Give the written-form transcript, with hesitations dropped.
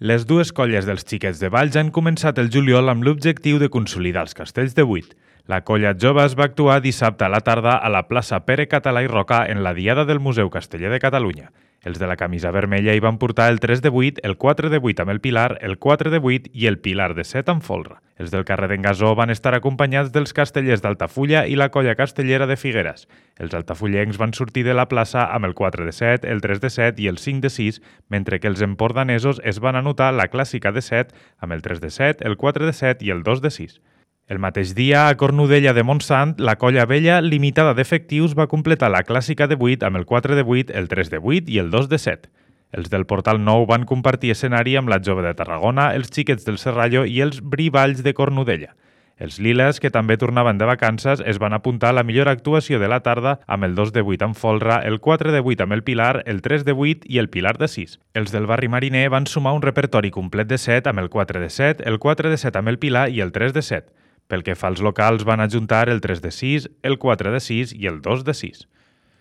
Les dues colles dels Xiquets de Valls han començat el juliol amb l'objectiu de consolidar els castells de 8. La colla Joves va actuar dissabte a la tarda a la plaça Pere Català i Roca en la diada del Museu Casteller de Catalunya. Els de la camisa vermella hi van portar el 3 de 8, el 4 de 8 amb el Pilar, el 4 de 8 i el Pilar de 7 amb folre. Els del carrer d'en Gasó van estar acompanyats dels castellers d'Altafulla i la colla castellera de Figueres. Els altafullencs van sortir de la plaça amb el 4 de 7, el 3 de 7 i el 5 de 6, mentre que els empordanesos es van anotar la clàssica de 7 amb el 3 de 7, el 4 de 7 i el 2 de 6. El mateix dia, a Cornudella de Montsant, la colla vella limitada d'efectius va completar la clàssica de 8 amb el 4 de 8, el 3 de 8 i el 2 de 7. Els del Portal Nou van compartir escenari amb la Jove de Tarragona, els Xiquets del Serrallo i els Brivalls de Cornudella. Els Liles, que també tornaven de vacances, es van apuntar a la millor actuació de la tarda amb el 2 de 8 amb folre, el 4 de 8 amb el Pilar, el 3 de 8 i el Pilar de 6. Els del barri Mariner van sumar un repertori complet de 7 amb el 4 de 7, el 4 de 7 amb el Pilar i el 3 de 7. Pel que fa als locals, van ajuntar el 3 de 6, el 4 de 6 i el 2 de 6.